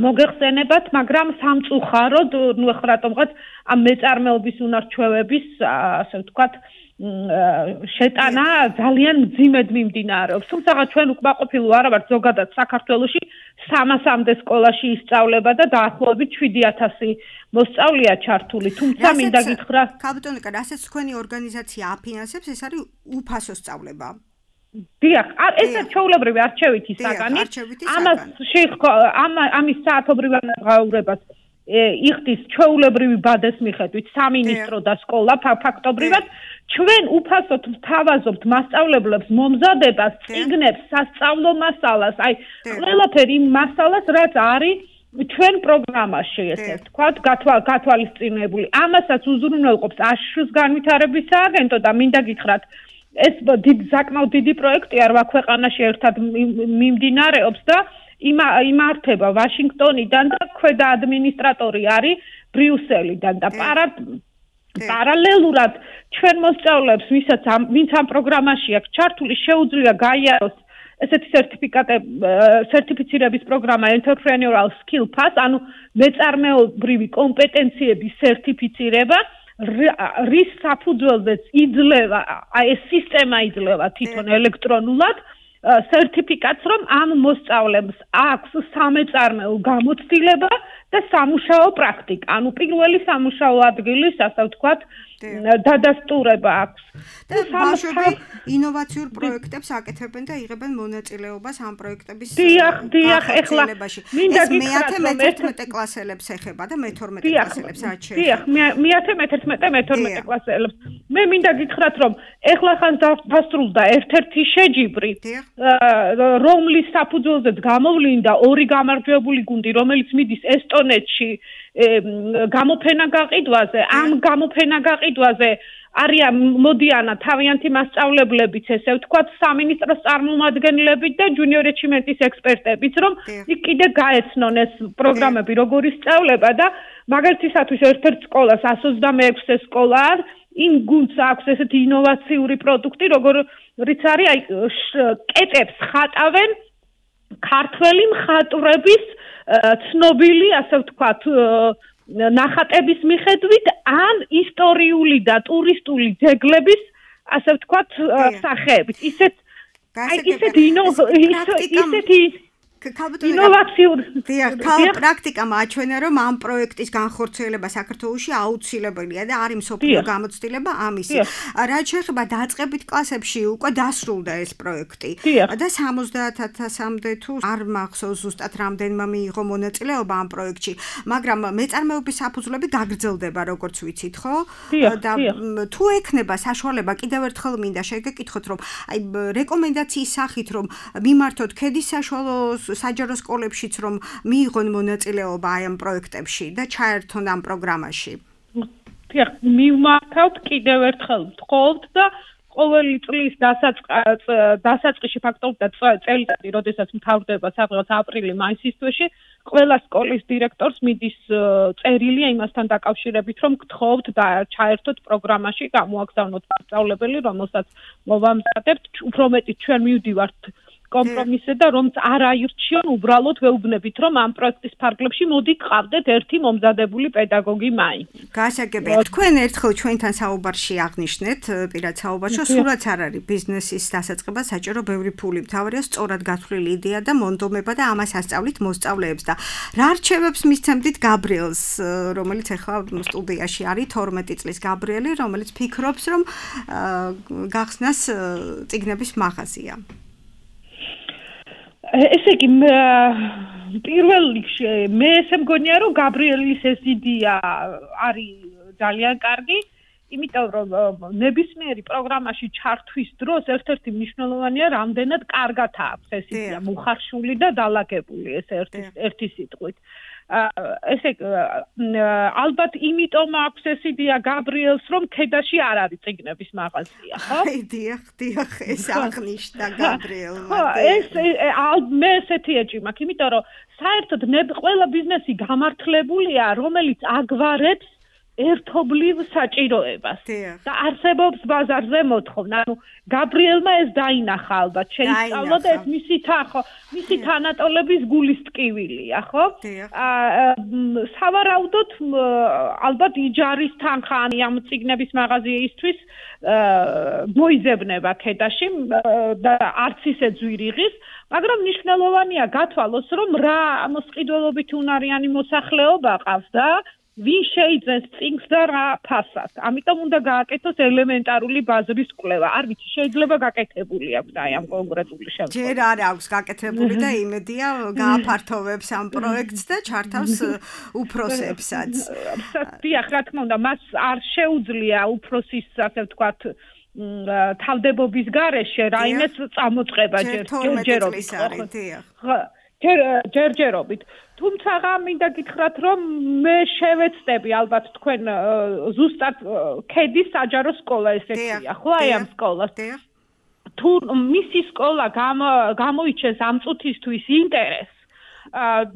Speaker 12: მოგეხსენებათ, მაგრამ სამწუხაროდ, ნუ ახლა რატომღაც ამ მეწარმეობის უნარჩვევების, ასე ვთქვათ, შეტანა ძალიან მძიმედ მიმდინარეობს. თუმცა ჩვენ უკმაყოფილო არა ვართ, ზოგადად საქართველოში 300-მდე სკოლაში ისწავლება და დაახლოებით 7000 მოსწავლეა ჩართული. თუმცა მინდა გითხრა,
Speaker 2: ქალბატონი, რასაც თქვენი ორგანიზაცია აფინანსებს, ეს არის უფასო სწავლება.
Speaker 12: დიახ, ეს ჩვეულებრივი არჩევითი საგანი. ამის საათობრივ განმავლობას იხდის ჩვეულებრივი ბადეს მიხედვით სამინისტრო და სკოლა ფაქტობრივად ჩვენ უფასოდ ვთავაზობთ მასწავლებლებს მომზადებას, წიგნებს, სასწავლო მასალას, აი ყველაფერი იმ მასალას, რაც არის ჩვენ პროგრამაში, ესე ვთქვათ, გათვალისწინებული. ამასაც უზრუნველყოფს აშშ-ს განვითარების სააგენტო და მინდა გითხრათ, ეს საკმაოდ დიდი პროექტია, რვა ქვეყანაში ერთად მიმდინარეობს და იმართება ვაშინგტონიდან და ქვედა ადმინისტრატორი არის ბრიუსელიდან და პარალელურად ჩვენ მოსწავლეებს, ვინც ამ პროგრამაში აქვს ჩართული, შეუძლია გაიაროს ესეთი სერტიფიცირების პროგრამა Entrepreneurial Skill Pass, ანუ მეწარმეობრივი კომპეტენციების სერტიფიცირება, რის საფუძველზეც იძლევა, აი ეს სისტემა იძლევა თვითონ ელექტრონულად სერტიფიკატს, რომ ამ მოსწავლეებს აქვს სამეწარმეო გამოცდილება და სამუშაო პრაქტიკა. ანუ პირველი სამუშაო ადგილის, ასე ვთქვათ, დადასტურება აქვს.
Speaker 2: და ბავშვები ინოვაციურ პროექტებს აკეთებენ და იღებენ მონაწილეობას ამ პროექტების განხორციელებაში. ეს მე-11 კლასელებს ეხება და მე-12 კლასელებს რაც შეეხება.
Speaker 12: დიახ, მე-11 მე-12 კლასელებს. მე მინდა გითხრათ, რომ ეხლა ხან დასრულდა ერთ-ერთი შეჯიბრი, რომლის საფუძველზეც გამოვლინდა 2 გამარჯვებული გუნდი, რომელიც მიდის ესტონეთში გამოფენა გაყიდვაზე. ამ გამოფენა გაყიდვაზე არიან მოდიანა თავიანთი მასწავლებლებიც, ესე ვთქვათ, სამინისტროს წარმომადგენლებით და ჯუნიორ ეჩიმენტის ექსპერტებიც, რომ იქ კიდე გაეცნონ ეს პროგრამები როგორ ისწავლება და მაგალითისათვის ერთ-ერთ სკოლას 126 სკოლა იმ გუნდს აქვს ესეთი ინოვაციური პროდუქტი, როგორიც არის აი კეტებს ხატავენ ქართველი მხატვრების ცნობილი, ასე ვთქვათ, ნახატების მიხედვით ან ისტორიული და ტურისტული ძეგლების ასე ვთქვათ სახეებით. ისეთი
Speaker 2: პრაქტიკა მაჩვენა, რომ ამ პროექტის განხორციელება საქართველოში აუცილებელია და არის მსოფლიო გამოცდილება ამისი. რაც შეეხება დაწყებით კლასებში, უკვე დასრულდა ეს პროექტი და 70,000-მდე თუ არ მახსოვს ზუსტად რამდენმა მიიღო მონაწილეობა ამ პროექტში, მაგრამ მეწარმეობის საფუძვლები გაგრძელდება, როგორც ვიცით, ხო? და თუ ექნება საშუალება, კიდევ ერთხელ მინდა შეგეკითხოთ, რომ აი რეკომენდაციის სახით, რომ მიმართოთ ქედის საშუალო საჯარო სკოლებშიც, რომ მიიღონ მონაწილეობა აი ამ პროექტებში და ჩაერთონ ამ პროგრამაში.
Speaker 12: დიახ, მივმართავთ კიდევ ერთხელ ვთხოვთ და ყოველი წლის დასაწყისში ფაქტობრივად და წელიწადი, როდესაც მთავრდება სადღაც აპრილი-მაისის თვეში, ყველა სკოლის დირექტორს მიდის წერილი იმასთან დაკავშირებით, რომ გთხოვთ და ჩაერთოთ პროგრამაში, გამოაგზავნოთ მასწავლებელი, რომელსაც მოვამზადებთ, უფრო მეტი ჩვენ მივდივართ კომპრომისზე და რომც არ აირჩიონ, უბრალოდ ვეუბნებით, რომ ამ პროექტის ფარგლებში მოდი გყავდეთ ერთი მომზადებული პედაგოგი მაინც.
Speaker 2: გასაგებია. თქვენ ერთხელ ჩვენთან საუბარში აღნიშნეთ, პირად საუბარში, სულაც არ არის ბიზნესის დასაწყება საჭირო ბევრი ფული. მთავარია სწორად გათვლილი იდეა და მონდომება და ამას ასწავლით მოსწავლეებს და რა რჩევებს მისცემდით გაბრიელს, რომელიც ახლა სტუდიაში არის 12 წლის გაბრიელი, რომელიც ფიქრობს, რომ გახსნას წიგნების მაღაზია.
Speaker 12: ესე იგი პირველ რიგში მე ესე მგონია რომ გაბრიელის ეს იდეა არის ძალიან კარგი, იმიტომ რომ ნებისმიერი პროგრამაში ჩართვის დროს ერთ-ერთი მნიშვნელოვანია რამდენად კარგად აქვს ეს იდეა მოხარშული და დალაგებული ეს ერთი სიტყვით. ესე ალბათ იმიტომ აქვს ეს იდეა გაბრიელს, რომ ქედაში არ არის წიგნების მაღაზია, ხო?
Speaker 2: აი დიახ, ეს აღნიშნა გაბრიელმა.
Speaker 12: მე ესეთი ეჭვი მაქვს, იმიტომ რომ საერთოდ ყველა ბიზნესი გამართლებულია, რომელიც აგვარებს ერთობლივ საჭიროებას და არსებობს ბაზარზე მოთხოვნა. ანუ გაბრიელმა ეს დაინახა ალბათ, შეისწავლა და ეს მისი თანატოლების გულის ტკივილია, ხო? სავარაუდოდ ალბათ იჯარის თანხანი ამ წიგნების მაღაზიისთვის მოიზებნება ქედაში და არც ისე ძვირიღის, მაგრამ მნიშვნელოვანია გათვალოს, რომ რა მოსყიდველობით უნარიანი მოსახლეობა ყავს და ვინ შეიძენს წიგნს და რა ფასად. ამიტომ უნდა გააკეთოს ელემენტარული ბაზრის კვლევა. არ ვიცი, შეიძლება გაკეთებული აქვს აი ამ კონკრეტული შემთხვევაში.
Speaker 2: ჯერ არ აქვს გაკეთებული და იმედია გააფართოვებს ამ პროექტს და ჩართავს უფროსებსაც.
Speaker 12: დიახ, რა თქმა უნდა, მას არ შეუძლია უფროსის, ასე ვთქვათ, თავდებობის გარეშე რაიმეს წამოწყება ჯერჯერობით. თუმცა მინდა გითხრათ, რომ მე შევეცდები ალბათ თქვენ ზუსტად ქედის საჯარო სკოლა ესეთია, ხო აი ამ სკოლას. თუ მისი სკოლა გამოიჩენს ამ წუთისთვის ინტერესს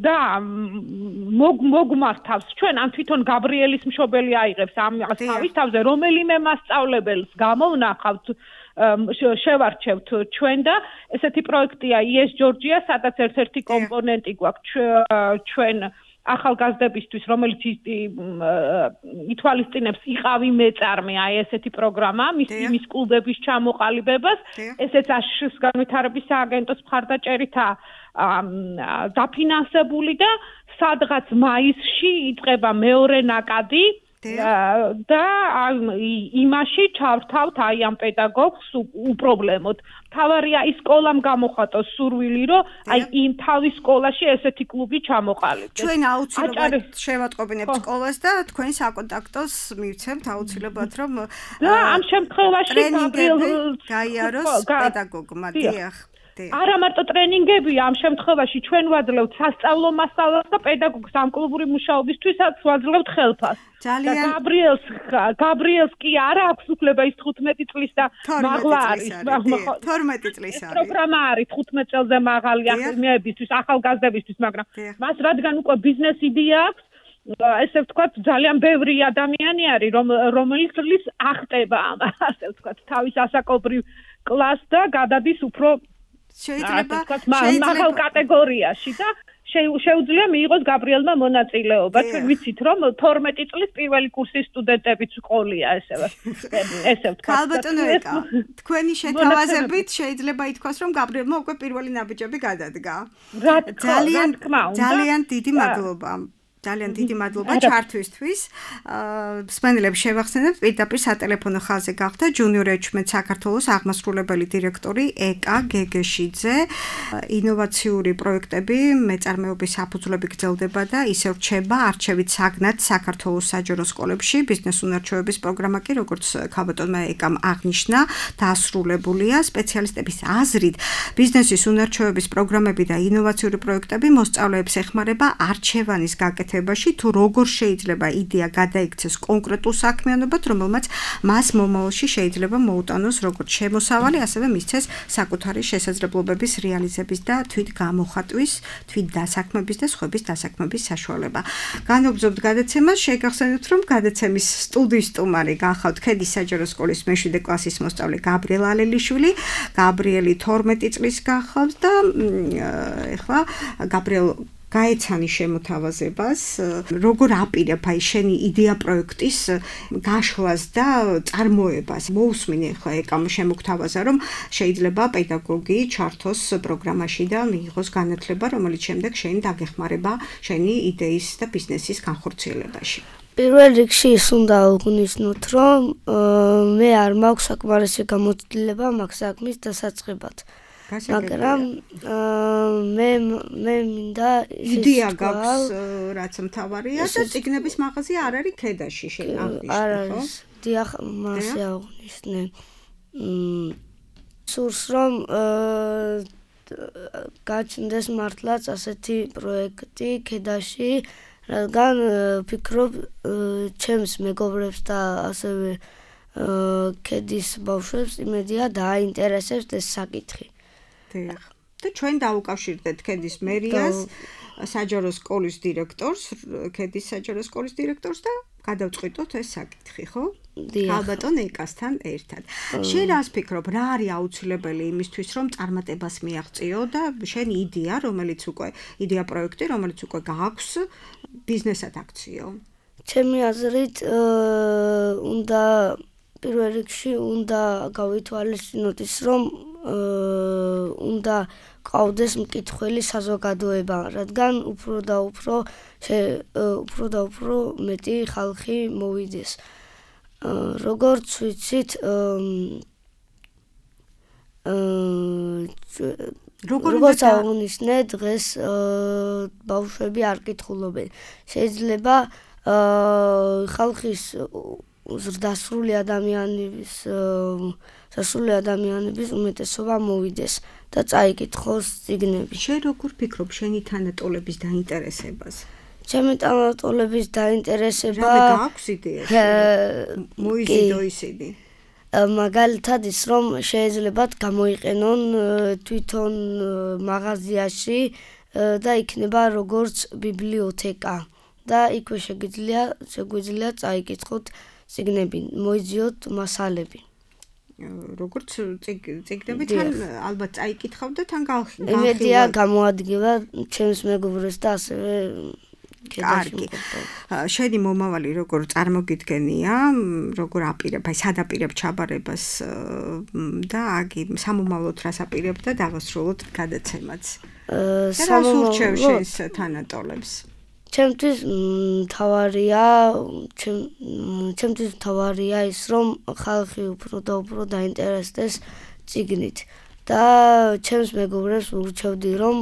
Speaker 12: და მოგმართავს ჩვენ ან თვითონ გაბრიელის მშობელი აიღებს ამას თავის თავზე, რომელიმე მასწავლებელს გამოვნახავთ, შევარჩევთ ჩვენ და ესეთი პროექტია ES Georgia, სადაც ერთ-ერთი კომპონენტი გვაქვს ჩვენ ახალგაზრდებისთვის, რომელიც ითვალისწინებს იყავი მეწარმე, აი ესეთი პროგრამა, მის კლუბების ჩამოყალიბებას, ესეც აშშ-ის განვითარების სააგენტოს მხარდაჭერითაა დაფინანსებული და სადღაც მაისში იწყება მეორე ნაკადი და იმაში ჩავთავთ აი ამ პედაგოგს უპრობლემოდ. თავარია ის სკოლამ გამოხატოს სურვილი, რომ აი იმ თავის სკოლაში ესეთი კლუბი ჩამოყალიბდეს.
Speaker 2: ჩვენ აუცილებლად შევატყობინებთ სკოლას და თქვენ საკონტაქტოს მივცემთ აუცილებლად, რომ
Speaker 12: ამ შემთხვევაში
Speaker 2: გაიაროს პედაგოგმა. დიახ.
Speaker 12: არა მარტო ტრენინგებია, ამ შემთხვევაში ჩვენ ვაძლევთ სასწავლო მასალას და პედაგოგს ამ კლუბური მუშაობისთვისაც ვაძლევთ ხელფასს.
Speaker 2: ძალიან
Speaker 12: გაბრიელს კი არა აქვს უფლება ის 15 წლის და მაღლა არის.
Speaker 2: 12 წლის არის.
Speaker 12: პროგრამა არის 15 წელზე მაღალი ახალგაზრდებისთვის, ახალგაზრდებისთვის, მაგრამ მას რადგან უკვე ბიზნეს იდეა აქვს, ესე ვთქვათ, ძალიან ბევრი ადამიანი არის, რომელიც ახტება ასე ვთქვათ, თავის ასაკობრივ კლასს და გადადის უფრო
Speaker 2: შეიძლება
Speaker 12: მაღალ კატეგორიაში და შეუძლია მიიღოს გაბრიელმა მონაწილეობა. ჩვენ ვიცით, რომ 12 წლის პირველი კურსის სტუდენტებიც ყოლია ესე ვთქვა.
Speaker 2: ალბათო ეკა, თქვენი შეთავაზებით შეიძლება ითქვას, რომ გაბრიელმა უკვე პირველი ნაბიჯები გადადგა. ძალიან დიდი მადლობა. ძალიან დიდი მადლობა ჩართვისთვის. მსმენელებს შევახსენებთ, პირდაპირ სატელეფონო ხაზზე გახდა ჯუნიორ ეჩმენტ საქართველოს აღმასრულებელი დირექტორი ეკა გეგეშიძე. ინოვაციური პროექტები მეწარმეობის საფუძვლები გრძელდება და ისევ რჩება არჩევით საგნად საქართველოს საჯარო სკოლებში. ბიზნეს უნარჩვევების პროგრამა კი, როგორც ქალბატონმა ეკამ აღნიშნა, დაასრულებულია. სპეციალისტების აზრით, ბიზნესის უნარჩვევების პროგრამები და ინოვაციური პროექტები მოსწავლეებს ეხმარება არჩევანის გაკეთებაში, თუ როგორ შეიძლება იდეა გადაიქცეს კონკრეტულ საქმიანობად, რომელმაც მას მომავალში შეიძლება მოუტანოს როგორც შემოსავალი, ასევე მისცეს საკუთარი შესაძლებლობების რეალიზების და თვით გამოხატვის, თვით დასაქმების და სხვების დასაქმების საშუალება. განვაგრძობთ გადაცემას, შეგახსენებთ, რომ გადაცემის სტუდიის სტუმარი გახავთ ქედის საჯარო სკოლის მე-7 კლასის მოსწავლე გაბრიელ ალელიშვილი. გაბრიელი 12 წლის გახავს და ეხლა გაბრიელ გაეცანი შემოთავაზებას, როგორ აპირებ აი შენი იდეა პროექტის გაშლას და წარმოებას. მოусმინე ხა ეკამ შემოგთავაზა, რომ შეიძლება პედაგოგი ჩართოს პროგრამაში და მიიღოს განათლება, რომელიც შემდეგ შენ დაგეხმარება შენი იდეის და ბიზნესის განხორციელებაში.
Speaker 11: პირველ რიგში ის უნდა აღნიშნოთ, რომ მე არ მაქვს საკმარისი გამოცდილება მაგ საქმის დასაწყებად. მაგრამ მე მინდა
Speaker 2: იდეა გაქვს, რაც მთავარია და წიგნების მაღაზია არ არის ქედაში შენ აღნიშნე, ხო?
Speaker 11: არ არის. დიახ, მასე აღნიშნე. სურს რომ გაჩნდეს მართლაც ასეთი პროექტი ქედაში, რადგან ვფიქრობ ჩემს მეგობრებს და ასევე ქედის ბავშვებს იმედია დააინტერესებს ეს საკითხი.
Speaker 2: და ჩვენ დავუკავშირდეთ ქედის მერიას, საჯარო სკოლის დირექტორს, ქედის საჯარო სკოლის დირექტორს და გადავწყვიტოთ ეს საკითხი, ხო? ალბათო ეკასთან ერთად. შენ რას ფიქრობ, რა არის აუცილებელი იმისთვის, რომ წარმატებას მიაღწიო და შენი იდეა, რომელიც უკვე იდეა პროექტი, რომელიც უკვე გააქვს, ბიზნესად აქციო?
Speaker 11: ჩემი აზრით, უნდა პირველ რიგში უნდა გავითვალისწინოთ ის, რომ უნდა ყავდეს მკითხველი საზოგადოება, რადგან უფრო და უფრო მეტი ხალხი მოვიდეს. როგორც ვიცით, როგორც აღნიშნე, დღეს ბავშვები არ კითხულობენ. შეიძლება ხალხის დასრული ადამიანების უმეტესობა მოვიდეს და წაიკითხოს წიგნები.
Speaker 2: შენ როგორ ფიქრობ შენი თანატოლების დაინტერესებას?
Speaker 11: ჩემი თანატოლების დაინტერესება
Speaker 2: გააქვს იდეა? მოიზიდო ისინი.
Speaker 11: მაგალითად ის, რომ შეიძლება გამოიყენონ თვითონ მაღაზიაში და იქნება როგორც ბიბლიოთეკა და იქვე შეგვიძლია წაიკითხოთ წიგნები, მოიძიოთ მასალები.
Speaker 2: როგორც წიგნები თან ალბათ წაიკითხავ და თან გავხილავ.
Speaker 11: იმედია გამოადგილა ჩემს მეგობრებს და ასევე
Speaker 2: კარგი. შენი მომავალი როგორ წარმოგიდგენია, როგორ აპირებ, აი სად აპირებ ჩაბარებას და აგი სამომავლოდ რას აპირებ და დავასრულოთ გადაცემაც. სამომავლოდ შენს თანატოლებს.
Speaker 11: ჩემთვის მთავარია ის, რომ ხალხი უფრო და უფრო დაინტერესდეს წიგნით და ჩემს მეგობრებს ურჩევდი, რომ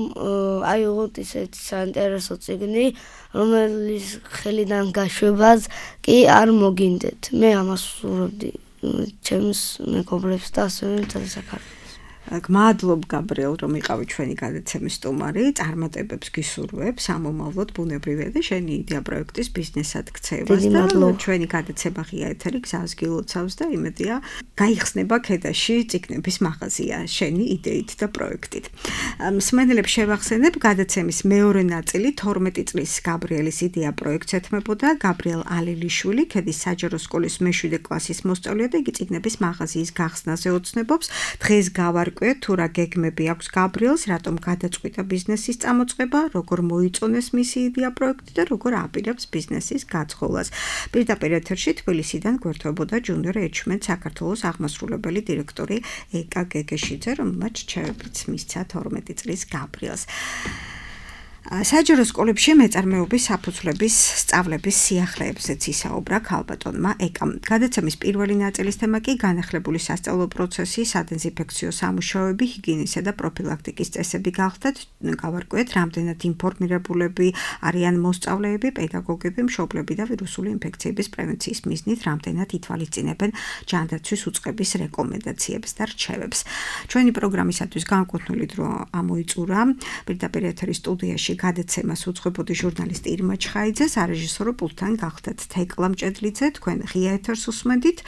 Speaker 11: აიღოთ ისეთი საინტერესო წიგნი, რომელიც ხელიდან გაშვებას კი არ მოგინდეთ. მე ამას ვსურვებდი ჩემს მეგობრებს და ასევე მთელ საქართველოს.
Speaker 2: გმადლობ გაბრიელ, რომ იყავი ჩვენი გადაცემის სტუმარი, წარმატებებს გისურვებ, სამომავლოდ ბუნებრივია და შენი იდეა პროექტის ბიზნესად ქცევას და ჩვენი გადაცემა ღია ეთერი გზას გილოცავს და იმედია გაიხსნება ქედაში წიგნების მაღაზია შენი იდეით და პროექტით. მსმენელებს შევახსენებ, გადაცემის მეორე ნაწილი 12 წლის გაბრიელის იდეა პროექტს ეთმებოდა. გაბრიელ ალელიშვილი, ქედის საჯარო სკოლის მე-7 კლასის მოსწავლეა და იგი წიგნების მაღაზიის გახსნაზე ოცნებობს. დღეს გავარ გავარკვიოთ თუ რა გეგმები აქვს გაბრიელს, რატომ გადაწყვიტა ბიზნესის წამოწყება, როგორ მოიწონეს მისი იდეა პროექტი და როგორ აპირებს ბიზნესის გაწყობას. პირდაპირ ეთერში თბილისიდან გვერდებოდა junior management საქართველოს აღმასრულებელი დირექტორი ეკა გეგეშიძე, რომელმაც რჩევებიც მისცა 12 წლის გაბრიელს. საჯარო სკოლებში მეწარმეობის საფუძვლების სწავლების სიახლეებზეც ისაუბრა ქალბატონმა ეკამ. გადაცემის პირველი ნაწილის თემა კი განახლებული სასწავლო პროცესი, სადეზინფექციო სამუშაოები, ჰიგიენისა და პროფილაქტიკის წესები გახდათ. გავარკვიეთ, რამდენად ინფორმირებულები არიან მოსწავლეები, პედაგოგები, მშობლები და ვირუსული ინფექციების პრევენციის მიზნით რამდენად ითვალისწინებენ ჯანდაცვის უწყების რეკომენდაციებს და რჩევებს. ჩვენი პროგრამისათვის განკუთვნილი დრო ამოიწურა პირდაპირ ეთერის სტუდიაში გადაცემას უძღვებოდი ჟურნალისტი ირმა ჩხაიძე, სარეჟისორო პულტთან გახდათ თეკლა მჭედლიძე, თქვენ ღია ეთერს უსმენთ.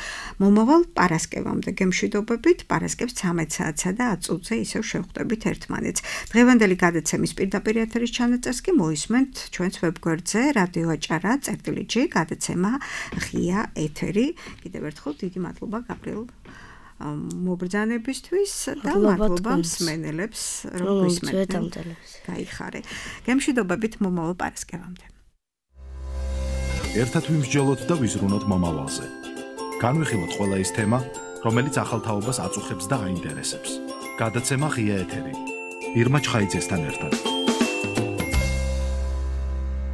Speaker 2: მომავალ პარასკევამდე გემშვიდობებით, პარასკევს 13 საათსა და 10 წუთზე ისევ შევხვდებით ერთმანეთს. დღევანდელი გადაცემის პირდაპირ ეთერის ჩანაწერს კი მოისმენთ ჩვენს ვებგვერდზე რადიო აჭარა წერტილითში გადაცემა ღია ეთერი. კიდევ ერთხელ დიდი მადლობა გაბრიელ მობრძანებისთვის და მადლობა მსმენელებს, რომ გვისმენთ. გაიხარე. გემშვიდობებით მომავალ პარასკევამდე.
Speaker 1: ერთად ვიმსჯელოთ და ვიზრუნოთ მომავალზე. განვიხილოთ ყველა ის თემა, რომელიც ახალ თაობას აწუხებს და აინტერესებს. გადაცემა ღია ეთერი. ირმა ჩხაიძესთან ერთად.